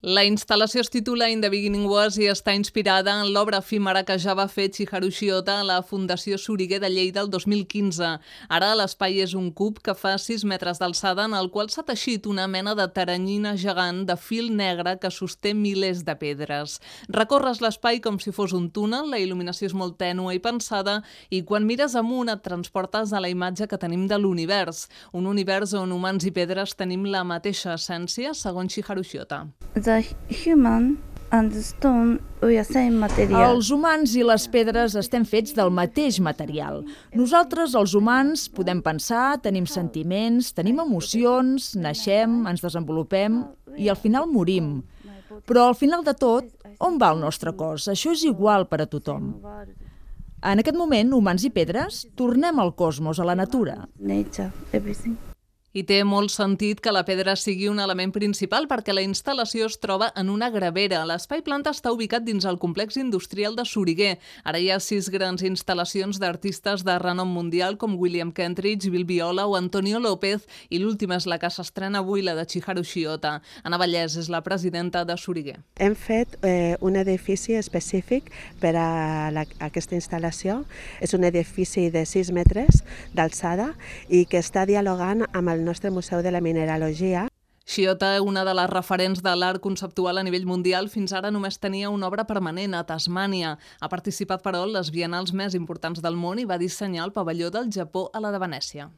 La instal·lació es titula In the Beginning Was i està inspirada en l'obra efímera que ja va fer Chiharu Shiota a la Fundació Soriguer de Lleida el 2015. Ara l'espai és un cub que fa 6 metres d'alçada en el qual s'ha teixit una mena de teranyina gegant de fil negre que sosté milers de pedres. Recorres l'espai com si fos un túnel, la il·luminació és molt tènue i pensada i quan mires amunt et transportes a la imatge que tenim de l'univers. Un univers on humans i pedres tenim la mateixa essència, segons Chiharu Shiota. The human and the stone we are same material. Els humans i les pedres estem fets del mateix material. Nosaltres, els humans, podem pensar, tenim sentiments, tenim emocions, naixem, ens desenvolupem i al final morim. Però al final de tot, on va el nostre cos? Això és igual per a tothom. En aquest moment, humans i pedres, tornem al cosmos, a la natura. Nature, everything. I té molt sentit que la pedra sigui un element principal perquè la instal·lació es troba en una gravera. L'espai planta està ubicat dins el complex industrial de Soriguer. Ara hi ha 6 grans instal·lacions d'artistes de renom mundial com William Kentridge, Bill Viola o Antonio López i l'última és la que s'estrena avui, la de Chiharu Shiota. Ana Vallès és la presidenta de Soriguer. Hem fet un edifici específic per a aquesta instal·lació. És un edifici de 6 metres d'alçada i que està dialogant amb el nostre Museu de la Mineralogia. Shiota, una de les referents de l'art conceptual a nivell mundial, fins ara només tenia una obra permanent a Tasmània. Ha participat, però, en les bienals més importants del món i va dissenyar el pavelló del Japó a la de Venècia.